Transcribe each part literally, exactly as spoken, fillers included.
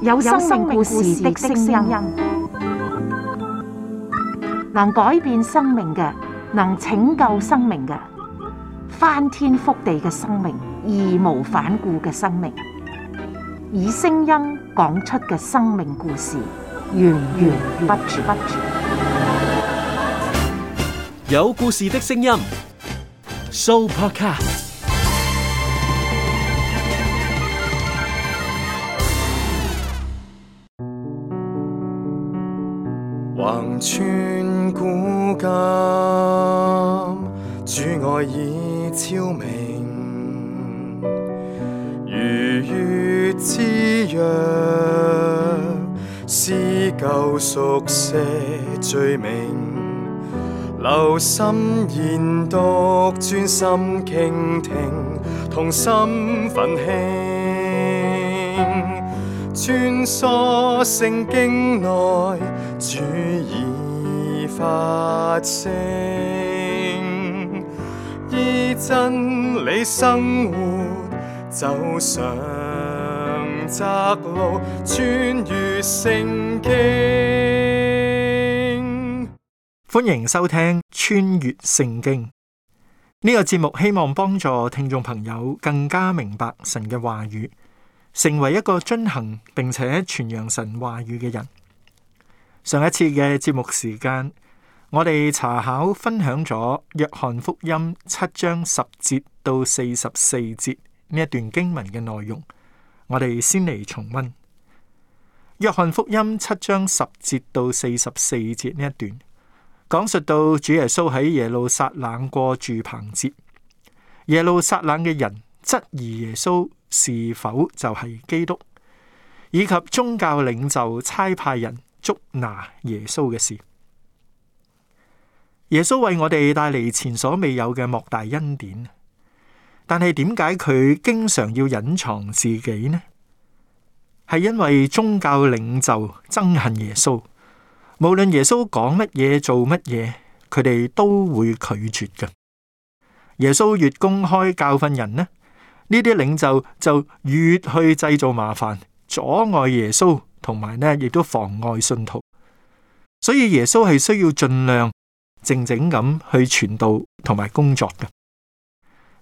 有生命故事的聲音，能改變生命嘅，能拯救生命嘅，翻天覆地嘅生命，義無反顧嘅生命，以聲音講出嘅生命故事，源源不絕。有故事的聲音 ，Sooopodcast。橫穿古今，主愛已超明，如月之約，撕舊熟寫罪名，留心研讀，專心傾聽，同心奮興，穿梭聖經內，主已發聲，依真理生活，走上窄路，穿越聖經。歡迎收聽《穿越聖經》呢個節目，希望幫助聽眾朋友更加明白神嘅話語，成為一個遵行並且傳揚神話語嘅人。上一次嘅節目時間，我哋查考分享咗約翰福音七章十節到四十四節呢一段經文嘅內容。我哋先嚟重溫約翰福音七章十節到四十四節呢一段，講述到主耶穌喺耶路撒冷過住棚節，耶路撒冷嘅人質疑耶穌是否就係基督，以及宗教領袖差派人捉拿耶穌嘅事。耶穌為我哋帶嚟前所未有嘅莫大恩典，但係點解佢經常要隱藏自己呢？係因為宗教領袖憎恨耶穌，無論耶穌講乜嘢做乜嘢，佢哋都會拒絕嘅。耶穌越公開教訓人呢，呢啲領袖就越去製造麻煩，阻礙耶穌，同埋呢亦都妨礙信徒。所以耶穌係需要盡量靜靜咁去傳道同埋工作嘅。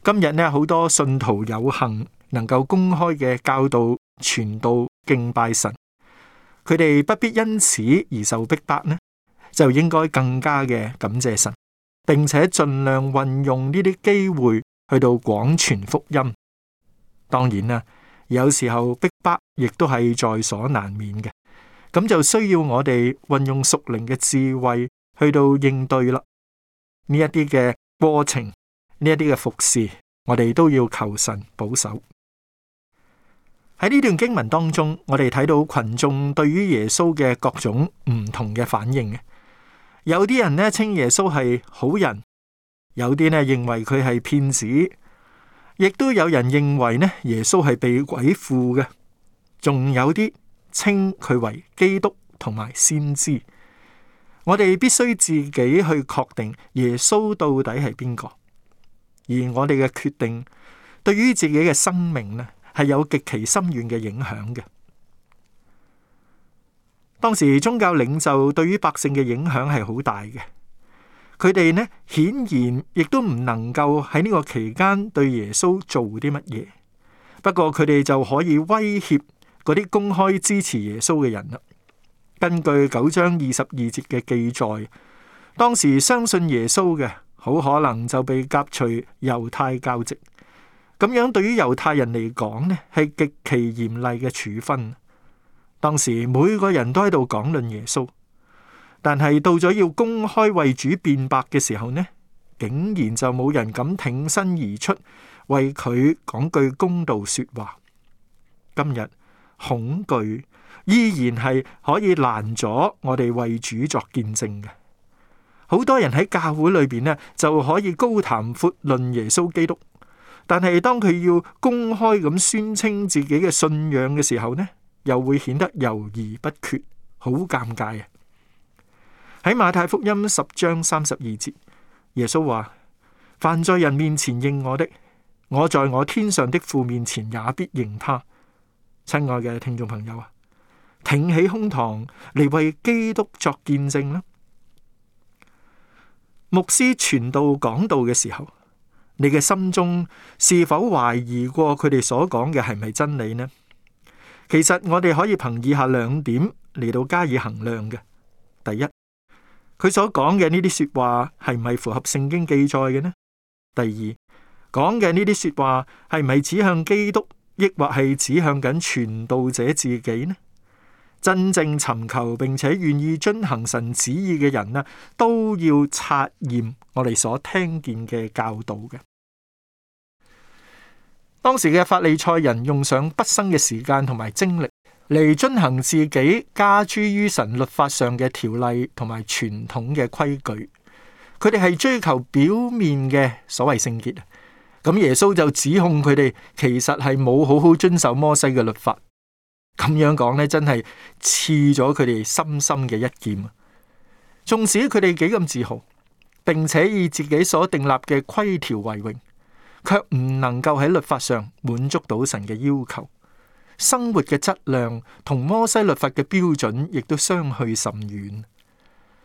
今日呢，好多信徒有幸能夠公開嘅教導、傳道、敬拜神，佢哋不必因此而受逼迫呢，就應該更加嘅感謝神，並且盡量運用呢啲機會去到廣傳福音。當然啦，有時候逼迫亦都係在所難免嘅，咁就需要我哋運用屬靈嘅智慧去到應對啦。呢一啲嘅過程，呢一啲嘅服侍，我哋都要求神保守。喺呢段經文當中，我哋睇到群眾對於耶穌嘅各種唔同嘅反應嘅。有啲人呢稱耶穌係好人，有啲呢認為佢係騙子，亦都有人認為呢耶穌係被鬼附嘅，仲有啲稱佢為基督同埋先知。我哋必須自己去確定耶穌到底係邊個，而我哋嘅決定對於自己嘅生命呢係有極其深遠嘅影響嘅。當時宗教領袖對於百姓嘅影響係好大嘅，佢哋呢顯然亦都唔能夠喺呢個期間對耶穌做啲乜嘢，不過佢哋就可以威脅嗰啲公開支持耶穌嘅人啦。根據九章二十二節嘅記載，當時相信耶穌嘅好可能就被革除猶太教籍。咁樣對於猶太人嚟講呢，係極其嚴厲嘅處分。當時每個人都喺度講論耶穌，但係到咗要公開為主辯白嘅時候呢，竟然就冇人敢挺身而出為佢講句公道說話。今日恐懼依然係可以攔阻我哋為主作見證嘅。好多人喺教會裏邊呢就可以高談闊論耶穌基督，但係當佢要公開咁宣稱自己嘅信仰嘅時候呢，又會顯得猶豫不決，好尷尬啊！喺馬太福音十章三十二節，耶穌話：凡在人面前認我的，我在我天上的父面前也必認他。親愛嘅聽眾朋友啊，挺起胸膛嚟為基督作見證啦。牧師傳道講道嘅時候，你嘅心中是否懷疑過佢哋所講嘅係咪真理呢？其實我哋可以憑以下兩點嚟到加以衡量嘅。第一，佢所講嘅呢啲說話係唔係符合聖經記載嘅呢？第二，講嘅呢啲說話係唔係指向基督，抑或係指向緊傳道者自己呢？真正尋求並且願意遵行神旨意嘅人呢，都要察驗我哋所聽見嘅教導嘅。當時嘅法利賽人用上畢生嘅時間同埋精力嚟遵行自己加諸於神律法上嘅條例同埋傳統嘅規矩，佢哋係追求表面嘅所謂聖潔。咁耶穌就指控佢哋其實係冇好好遵守摩西嘅律法。咁樣講呢，真係刺咗佢哋深深嘅一劍啊！縱使佢哋幾咁自豪，並且以自己所訂立嘅規條為榮，卻唔能夠喺律法上滿足到神嘅要求。生活嘅質量同摩西律法嘅標準亦都相去甚遠。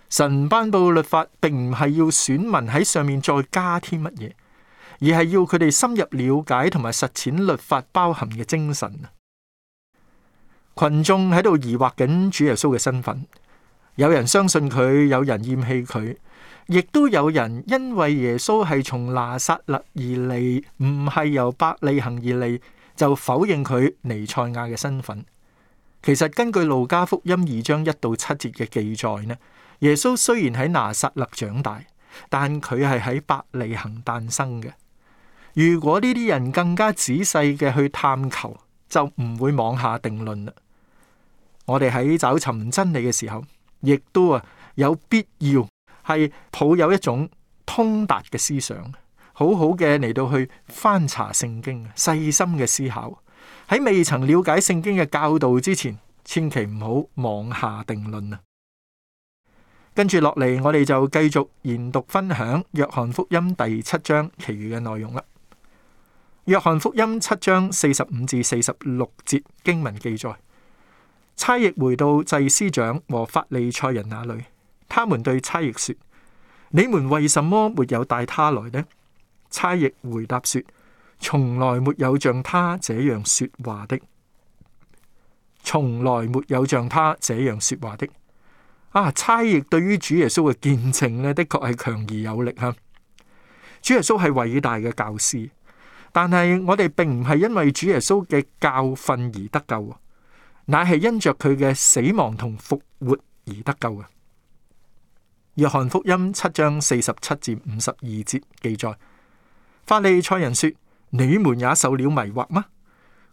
神頒布律法，並唔係要選民喺上面再加添乜嘢，而係要佢哋深入了解同埋實踐律法包含嘅精神。群眾喺度疑惑緊主耶穌嘅身份，有人相信佢，有人厭棄佢，亦都有人因為耶穌係從拿撒勒而嚟，唔係由伯利恆而嚟，就否認佢彌賽亞嘅身份。其實根據路加福音二章一到七節嘅記載呢，耶穌雖然喺拿撒勒長大，但佢係喺伯利恆誕生嘅。如果呢啲人更加仔細嘅去探求，就唔會妄下定論啦。我哋喺找尋真理嘅時候，亦都啊有必要係抱有一種通達嘅思想，好好嘅嚟到去翻查聖經，細心嘅思考。喺未曾了解聖經嘅教導之前，千祈唔好妄下定論啊！跟住落嚟，我哋就繼續研讀分享約翰福音第七章其餘嘅內容啦。約翰福音七章四十五至四十六節經文記載，差役回到祭司長和法利賽人那裏，他們對差役說：你們為什麼沒有帶他來呢？差役回答說：從來沒有像他這樣說話的，從來沒有像他這樣說話的。啊，差役對於主耶穌嘅見證呢，的確係強而有力哈。主耶穌係偉大嘅教師，但係我哋並唔係因為主耶穌嘅教訓而得救，乃係因着佢嘅死亡同復活而得救嘅。約翰福音七章四十七至五十二節記載，法利賽人說：你們也受了迷惑嗎？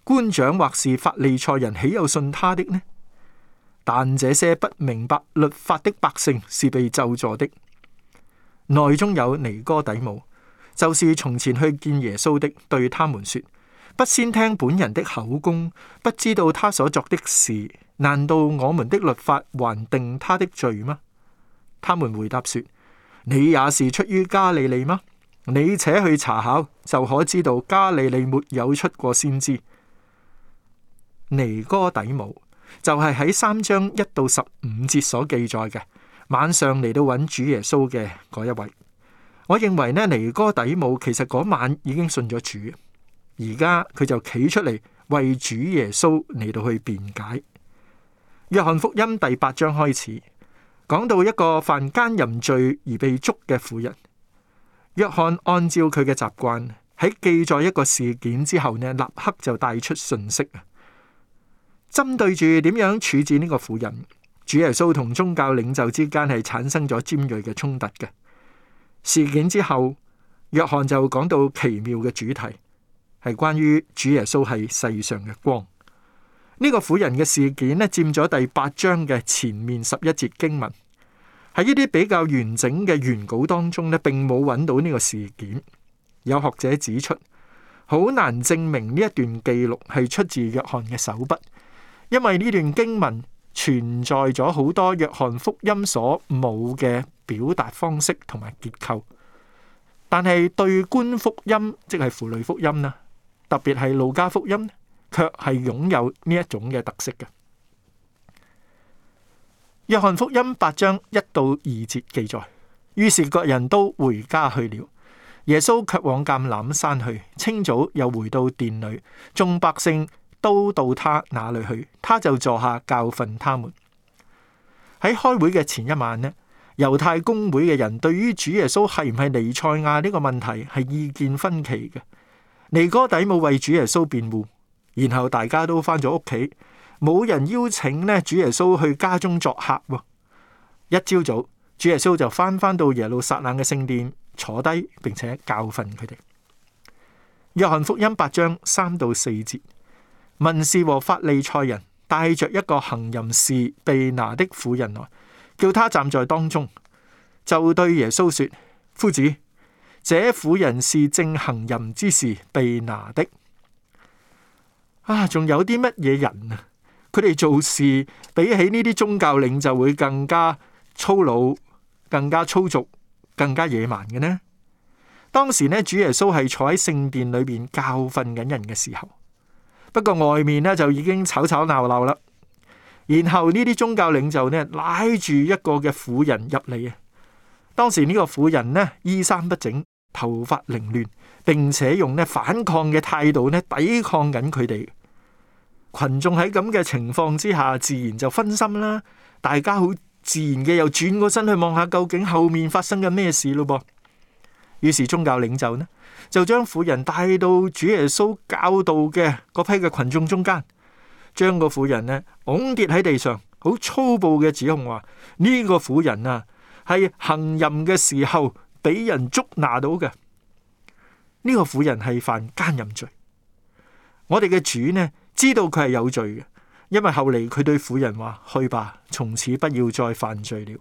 官長或是法利賽人豈有信他的呢？但這些不明白律法的百姓是被咒詛的。內中有尼哥底母，就是從前去見耶穌的，對他們說：不先聽本人的口供，不知道他所作的事，難道我們的律法還定他的罪嗎？他們回答說：你也是出於加利利嗎？你且去查考，就可知道加利利沒有出過先知。尼哥底母就係喺三章一到十五節所記載嘅，晚上嚟到揾主耶穌嘅嗰一位。我認為呢，尼哥底母其實嗰晚已經信咗主，而家佢就企出嚟為主耶穌嚟到去辯解。約翰福音第八章開始講到一個犯姦淫罪而被捉嘅婦人。約翰按照佢嘅習慣喺記載一個事件之後呢，立刻就帶出信息啊，針對住點樣處置呢個婦人，主耶穌同宗教領袖之間係產生咗尖銳嘅衝突嘅。事件之後，約翰就講到奇妙嘅主題，係關於主耶穌係世上嘅光。呢、這個婦人嘅事件呢，佔咗第八章嘅前面十一節經文。喺呢啲比較完整嘅原稿當中呢，並冇揾到呢個事件。有學者指出，好難證明呢一段記錄係出自約翰嘅手筆，因為呢段經文存在咗好多約翰福音所冇嘅表達方式同埋結構。但係對觀福音，即係符類福音啦，特別係路加福音，卻係擁有呢一種嘅特色嘅。約翰福音八章一到二節記載，於是各人都回家去了，耶穌卻往橄欖山去。清早又回到殿裏，眾百姓都到他那裏去，他就坐下教訓他們。喺開會嘅前一晚呢，猶太公會嘅人對於主耶穌係唔係彌賽亞呢個問題係意見分歧嘅。尼哥底母為主耶穌辯護，然後大家都翻咗屋企，冇人邀請呢主耶穌去家中作客。一朝早，主耶穌就翻返到耶路撒冷嘅聖殿坐低，並且教訓佢哋。約翰福音八章三到四節，文士和法利賽人帶着一個行淫時被拿的婦人來，叫他站在當中，就對耶穌說：夫子，這婦人是正行淫之時被拿的。啊，仲有啲乜嘢人啊？佢哋做事比起呢啲宗教領袖會更加粗魯、更加粗俗、更加野蠻嘅呢？當時呢，主耶穌係坐喺聖殿裏邊教訓緊人嘅時候，不過外面呢就已經吵吵鬧鬧啦。然後呢啲宗教領袖呢拉住一個嘅婦人入嚟啊！當時呢個婦人呢衣衫不整，頭髮凌亂，並且用呢反抗嘅態度呢抵抗緊佢哋。群眾喺咁嘅情況之下，自然就分心啦。大家好自然嘅又轉過身去望下究竟後面發生緊咩事咯噃。於是宗教領袖呢就將婦人帶到主耶穌教導嘅嗰批嘅群眾中間，將個婦人呢拱跌喺地上，好粗暴嘅指控話呢個婦人啊係行淫嘅時候俾人捉拿到嘅。呢個婦人係犯奸淫罪。我哋嘅主呢知道佢係有罪嘅，因為後嚟佢對婦人話：去吧，從此不要再犯罪了。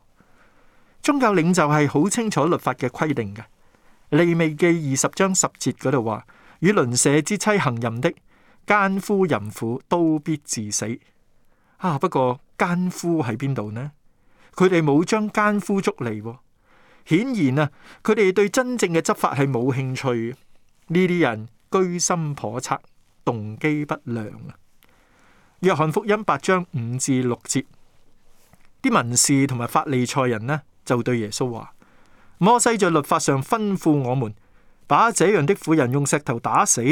宗教領袖係好清楚律法嘅規定嘅。利未記二十章十節嗰度話：與鄰舍之妻行淫的，奸夫淫婦都必治死。啊，不過奸夫喺邊度呢？佢哋冇將奸夫捉嚟，顯然啊，佢哋對真正嘅執法係冇興趣。呢啲人居心叵測，動機不良啊！約翰福音八章五至六節，啲文士同埋法利賽人呢就對耶穌話：摩西在律法上吩咐我們，把這樣的婦人用石頭打死。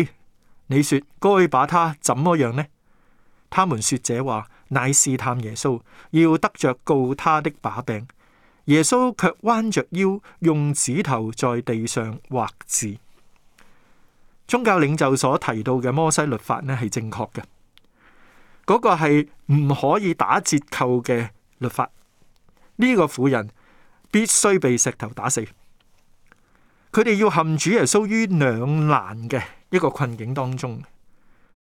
你說該把他怎麼樣呢？他們說這話，乃試探耶穌，要得着告他的把柄。耶穌卻彎着腰，用指頭在地上畫字。宗教領袖所提到嘅摩西律法呢係正確嘅，嗰個係唔可以打折扣嘅律法。呢個婦人必須被石頭打死。佢哋要陷主耶穌於兩難嘅一個困境當中。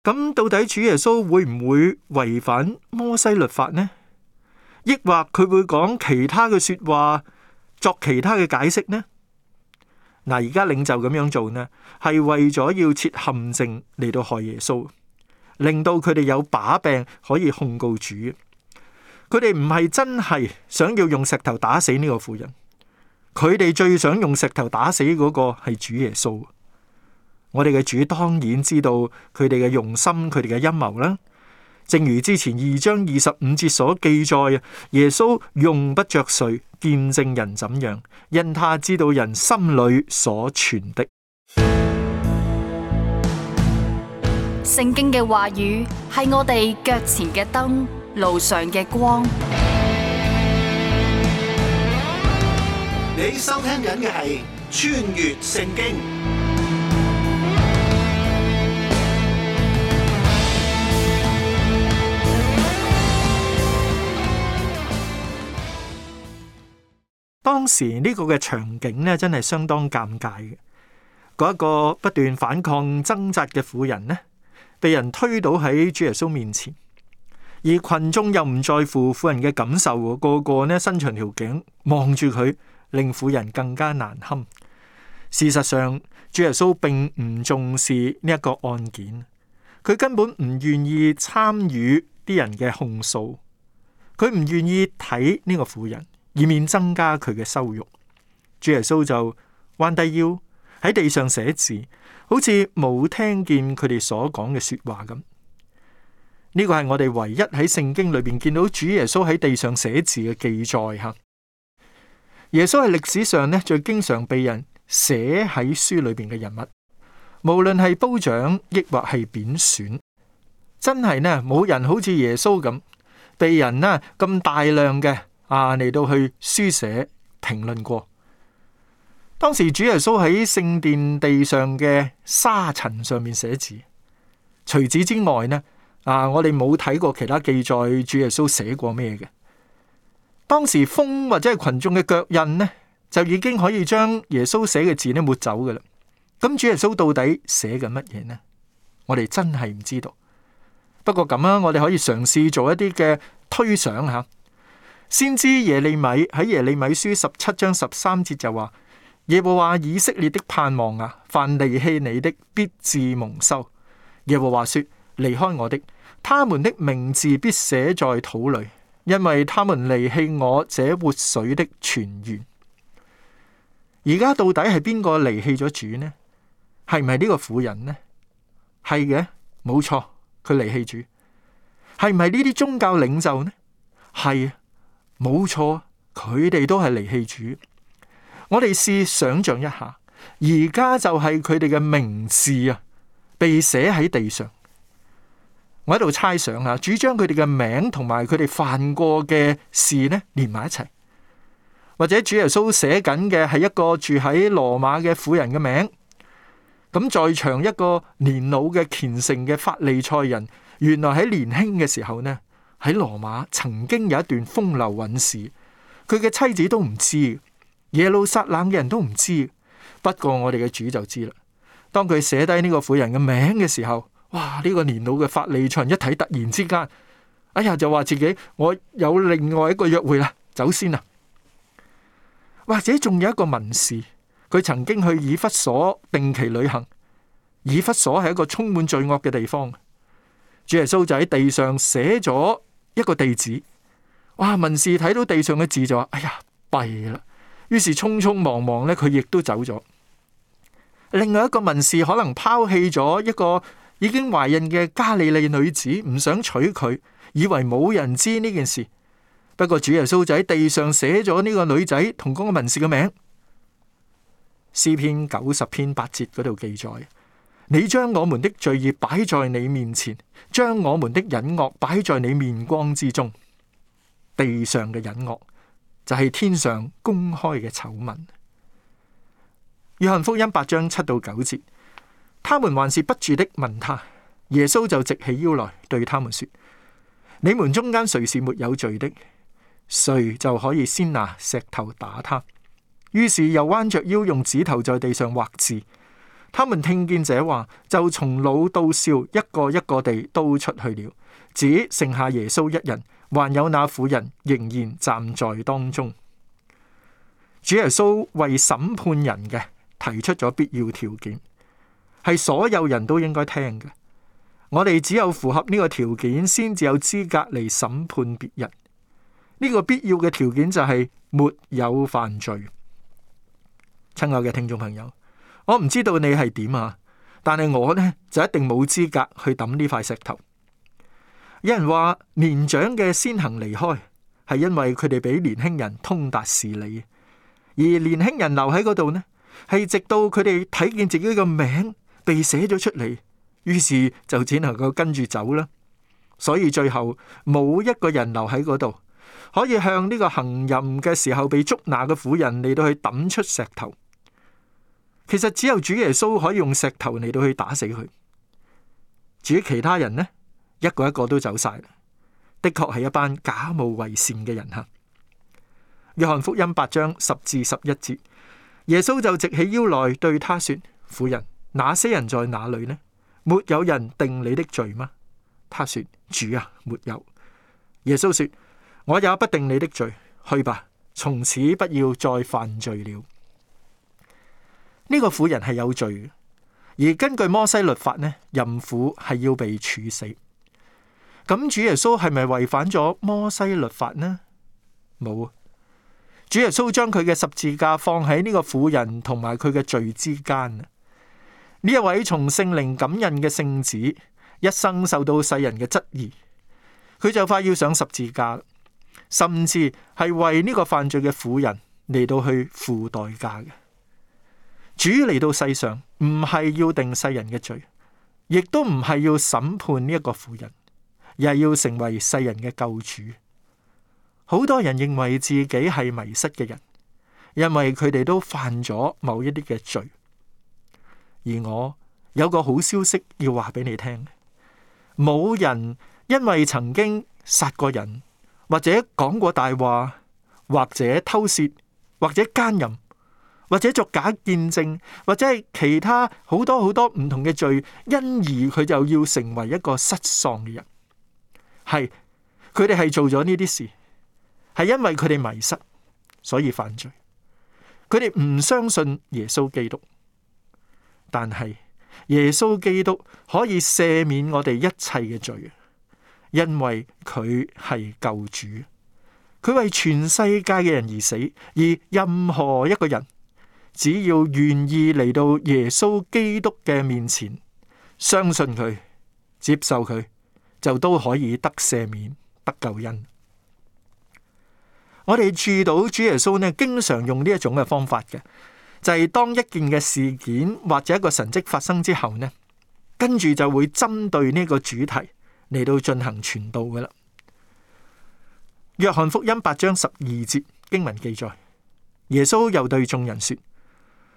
咁到底主耶穌會唔會違反摩西律法呢？抑或佢會講其他嘅說話，作其他嘅解釋呢？嗱，而家領袖咁樣做呢，係為咗要設陷阱嚟到害耶穌，令到佢哋有把柄可以控告主。佢哋唔係真係想要用石頭打死呢個婦人，佢哋最想用石頭打死嗰個係主耶穌。我哋嘅主當然知道佢哋嘅用心，佢哋嘅陰謀啦。正如之前二章二十五節所記載，耶穌用不着誰見證人怎樣，因他知道人心裏所存的。聖經嘅話語係我哋腳前嘅燈，路上嘅光。你收聽緊嘅係穿越聖經。當時呢個嘅場景呢，真係相當尷尬嘅。嗰一個不斷反抗掙扎嘅婦人呢，被人推倒喺主耶穌面前，而群眾又唔在乎婦人嘅感受，個個呢伸長條頸望住佢，令婦人更加難堪。事實上，主耶穌並唔重視呢一個案件，佢根本唔願意參與啲人嘅控訴，佢唔願意睇呢個婦人，以免增加佢嘅羞辱。主耶穌就彎低腰喺地上寫字，好似冇聽見佢哋所講嘅說話咁。呢個係我哋唯一喺聖經裏邊見到主耶穌喺地上寫字嘅記載吓。耶穌係歷史上咧最經常被人寫喺書裏邊嘅人物，無論係褒獎抑或係貶損，真係呢冇人好似耶穌咁被人呢咁大量嘅啊嚟到去書寫評論過。當時主耶穌喺聖殿地上嘅沙塵上面寫字，除此之外呢啊我哋冇睇過其他記載主耶穌寫過咩嘅。當時風或者係群眾嘅腳印呢，就已經可以將耶穌寫嘅字呢抹走㗎喇。咁主耶穌到底寫緊乜嘢呢？我哋真係唔知道。不過咁啊，我哋可以嘗試做一啲嘅推想吓。先知耶利米喺耶利米書十七章十三節就話：耶和華以色列的盼望啊，凡離棄你的必致蒙羞。耶和華說：離開我的，他們的名字必寫在土裏。因為他們離棄我這活水的泉源。而家到底係邊個離棄咗主呢？係唔係呢個婦人呢？係嘅，冇錯，佢離棄主。係唔係呢啲宗教領袖呢？係，冇錯，佢哋都係離棄主。我哋試想象一下，而家就係佢哋嘅名字啊，被寫喺地上。我喺度猜想啊，主將佢哋嘅名同埋佢哋犯過嘅事呢連埋一齊，或者主耶穌寫緊嘅係一個住喺羅馬嘅婦人嘅名，咁在場一個年老嘅虔誠嘅法利賽人，原來喺年輕嘅時候呢喺羅馬曾經有一段風流韻事，佢嘅妻子都唔知，耶路撒冷嘅人都唔知，不過我哋嘅主就知啦。當佢寫低呢個婦人嘅名嘅時候，哇！呢、這個年老嘅法利賽人一睇，突然之間，哎呀，就話自己我有另外一個約會啦，走先啦。或者仲有一個文士，佢曾經去以弗所定期旅行。以弗所係一個充滿罪惡嘅地方。主耶穌就喺地上寫咗一個地址。哇！文士睇到地上嘅字就話：哎呀，弊啦！於是匆匆忙忙咧，佢亦都走咗。另外一個文士可能拋棄咗一個已經懷孕嘅加利利女子，唔想娶佢，以為冇人知呢件事。不過主耶穌就喺地上寫咗呢個女仔同嗰個文士嘅名。詩篇九十篇八節嗰度記載：你將我們的罪孽擺在你面前，將我們的隱惡擺在你面光之中。地上嘅隱惡就係天上公開嘅醜聞。約翰福音八章七到九節。他們還是不住的問他，耶穌就直起腰來對他們說：你們中間誰是沒有罪的，誰就可以先拿石頭打他。於是又彎着腰用指頭在地上畫字。他們聽見這話，就從老到少一個一個地都出去了，只剩下耶穌一人，還有那婦人仍然站在當中。主耶穌為審判人嘅提出咗必要條件，係所有人都應該聽嘅。我哋只有符合呢個條件，先至有資格嚟審判別人。呢個必要嘅條件就係沒有犯罪。親愛嘅聽眾朋友，我唔知道你係點啊，但係我呢就一定冇資格去抌呢塊石頭。有人話年長嘅先行離開，係因為佢哋比年輕人通達事理，而年輕人留喺嗰度呢，係直到佢哋睇見自己嘅名被寫咗出嚟，於是就只能夠跟住走啦。所以最後冇一個人留喺嗰度，可以向呢個行淫嘅時候被捉拿嘅婦人嚟到去抌出石頭。其實只有主耶穌可以用石頭嚟到去打死佢。至於其他人呢，一個一個都走晒，的確係一班假冒為善嘅人哈。約翰福音八章十至十一節，耶穌就直起腰來對他說：婦人，那些人在哪裏呢？沒有人定你的罪嗎？他說：主啊，沒有。耶穌說：我也不定你的罪，去吧，從此不要再犯罪了。呢個婦人係有罪嘅，而根據摩西律法呢，淫婦係要被處死。咁主耶穌係咪違反咗摩西律法呢？冇。主耶穌將佢嘅十字架放喺呢個婦人同埋佢嘅罪之間。呢一位從聖靈感孕嘅聖子，一生受到世人嘅質疑，佢就快要上十字架，甚至係為呢個犯罪嘅婦人嚟到去付代價嘅。主嚟到世上唔係要定世人嘅罪，亦都唔係要審判呢一個婦人，而係要成為世人嘅救主。好多人認為自己係迷失嘅人，因為佢哋都犯咗某一啲嘅罪。而我有個好消息要話俾你聽，冇人因為曾經殺過人，或者講過大話，或者偷竊，或者奸淫，或者作假見證，或者係其他好多好多唔同嘅罪，因而佢就要成為一個失喪嘅人。係，佢哋係做咗呢啲事，係因為佢哋迷失，所以犯罪。佢哋唔相信耶穌基督，但係耶穌基督可以赦免我哋一切嘅罪，因為佢係救主，佢為全世界嘅人而死，而任何一個人只要願意嚟到耶穌基督嘅面前，相信佢，接受佢，就都可以得赦免、得救恩。我哋注到主耶穌呢，經常用呢一種嘅方法嘅，就係當一件嘅事件或者一個神蹟發生之後呢，跟住就會針對呢個主題嚟到進行傳道噶啦。約翰福音八章十二節經文記載，耶穌又對眾人說：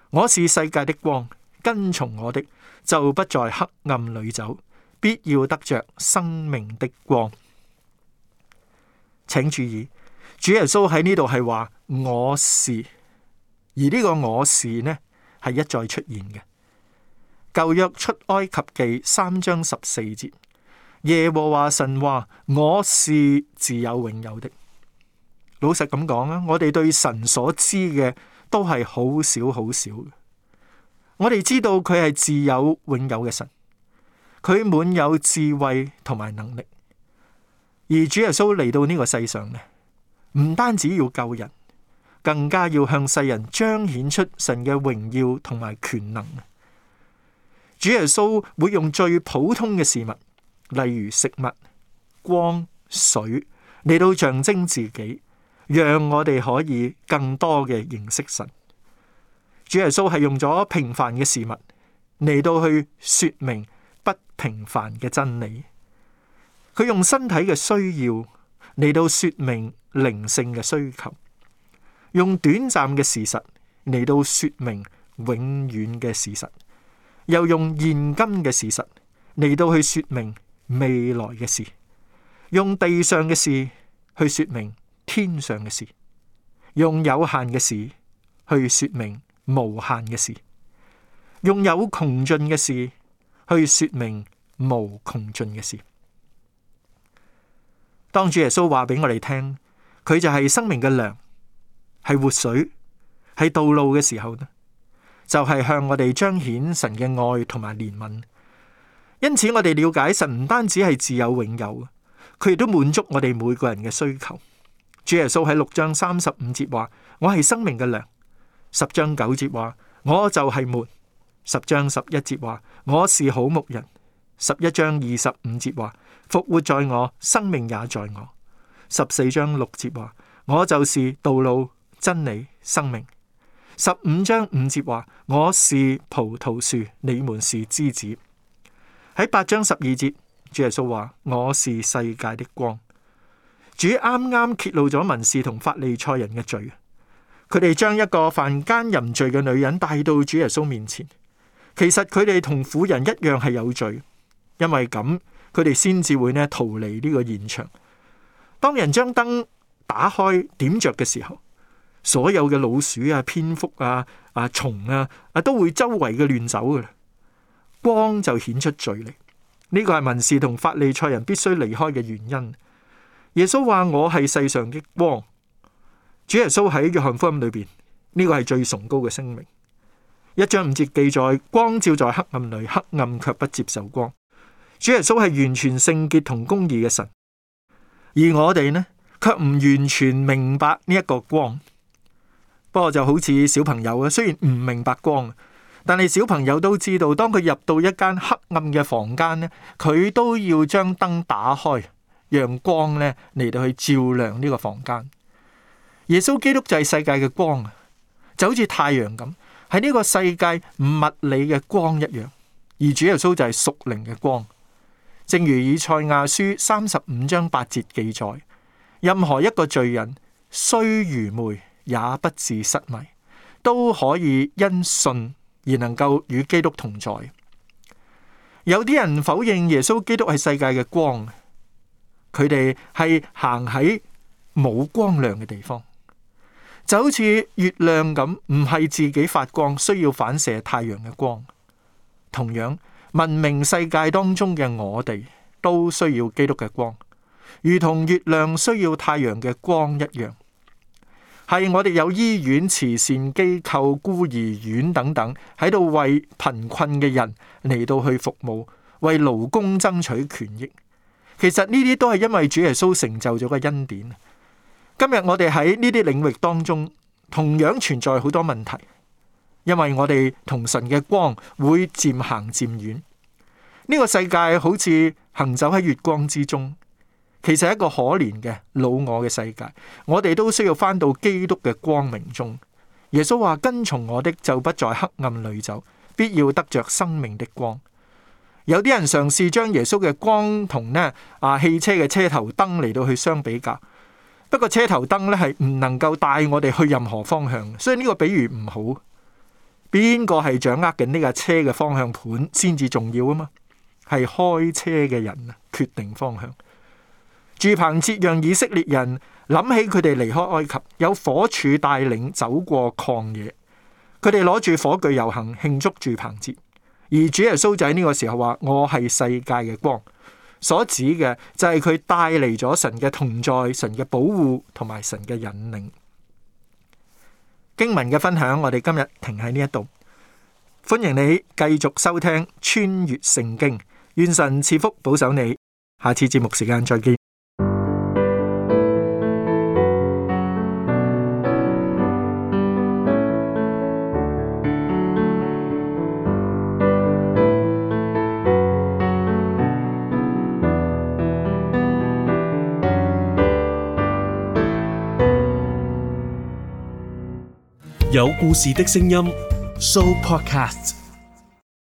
我是世界的光，跟從我的就不在黑暗裏走，必要得着生命的光。請注意，主耶穌喺呢度係話我是，而呢個我是呢係一再出現嘅。舊約出埃及記三章十四節，耶和華神話我是自有永有的。老實咁講啊，我哋對神所知嘅都係好少好少嘅。我哋知道佢係自有永有嘅神，佢滿有智慧同埋能力。而主耶穌嚟到呢個世上呢，唔單止要救人，更加要向世人彰顯出神嘅榮耀同埋權能。主耶穌會用最普通嘅事物，例如食物、光、水，嚟到象徵自己，讓我哋可以更多嘅認識神。主耶穌係用咗平凡嘅事物嚟到去說明不平凡嘅真理。佢用身體嘅需要嚟到說明靈性嘅需求，用短暫嘅事實嚟到說明永遠嘅事實，又用現今嘅事實嚟到去說明未來嘅事，用地上嘅事去說明天上嘅事，用有限嘅事去說明無限嘅事，用有窮盡嘅事去說明無窮盡嘅事。當主耶穌話俾我哋聽，佢就係生命嘅糧，係活水，係道路嘅時候呢，就係向我哋彰顯神嘅愛同埋憐憫。因此我哋了解神唔單止係自有永有，佢亦都滿足我哋每個人嘅需求。主耶穌喺六章三十五節話：我係生命嘅糧。十章九節話：我就係門。十章十一節話：我是好牧人。十一章二十五節話：復活在我，生命也在我。十四章六節話：我就是道路、真理、生命。十五章五節話：我是葡萄樹，你們是枝子。喺八章十二節，主耶穌話：我是世界的光。主啱啱揭露咗文士同法利賽人嘅罪，佢哋將一個犯奸淫罪嘅女人帶到主耶穌面前。其實佢哋同婦人一樣係有罪，因為咁佢哋先至會呢逃離呢個現場。當人將燈打開點着嘅時候，所有嘅老鼠啊、蝙蝠啊、啊蟲啊啊都會周圍嘅亂走噶啦，光就顯出罪嚟。呢個係文士同法利賽人必須離開嘅原因。耶穌話：我係世上的光。主耶穌喺約翰福音裏邊，呢個係最崇高嘅聲明。一章五節記載：光照在黑暗裏，黑暗卻不接受光。主耶穌係完全聖潔同公義嘅神，而我哋呢，卻唔完全明白呢一個光。不過就好似小朋友啊，雖然唔明白光，但係小朋友都知道，當佢入到一間黑暗嘅房間呢，佢都要將燈打開，讓光咧嚟到去照亮呢個房間。耶穌基督就係世界嘅光啊，就好似太陽咁，係呢個世界物理嘅光一樣。而主耶穌就係屬靈嘅光，正如以賽亞書三十五章八節記載，任何一個罪人雖愚昧，也不致失迷，都可以因信而能夠與基督同在。有啲人否認耶穌基督係世界嘅光，佢哋係行喺冇光亮嘅地方，就好似月亮咁，唔係自己發光，需要反射太陽嘅光。同樣，文明世界當中嘅我哋都需要基督嘅光，如同月亮需要太陽嘅光一樣。係我哋有醫院、慈善機構、孤兒院等等，喺度為貧困嘅人嚟到去服務，為勞工爭取權益。其實呢啲都係因為主耶穌成就咗個恩典。今日我哋喺呢啲領域當中，同樣存在好多問題，因為我哋同神嘅光會漸行漸遠。呢個世界好似行走喺月光之中，其實係一個可憐嘅老我嘅世界。我哋都需要返到基督嘅光明中。耶穌話：跟從我的，就不在黑暗裏走，必要得着生命的光。有啲人嘗試將耶穌嘅光同呢啊汽車嘅車頭燈嚟到去相比較，不過車頭燈呢係唔能夠帶我哋去任何方向，所以呢個比喻唔好。邊個係掌握緊呢架車嘅方向盤先至重要啊嘛？係開車嘅人啊，決定方向。住棚節讓以色列人諗起佢哋離開埃及，有火柱帶領走過曠野，佢哋攞住火炬遊行慶祝住棚節。而主耶穌就喺呢個時候話：我係世界嘅光，所指嘅就係佢帶嚟咗神嘅同在、神嘅保護同埋神嘅引領。經文嘅分享，我哋今日停喺呢一度。歡迎你繼續收聽穿越聖經，願神賜福保守你。下次節目時間再見。有故事的聲音 Show Podcast。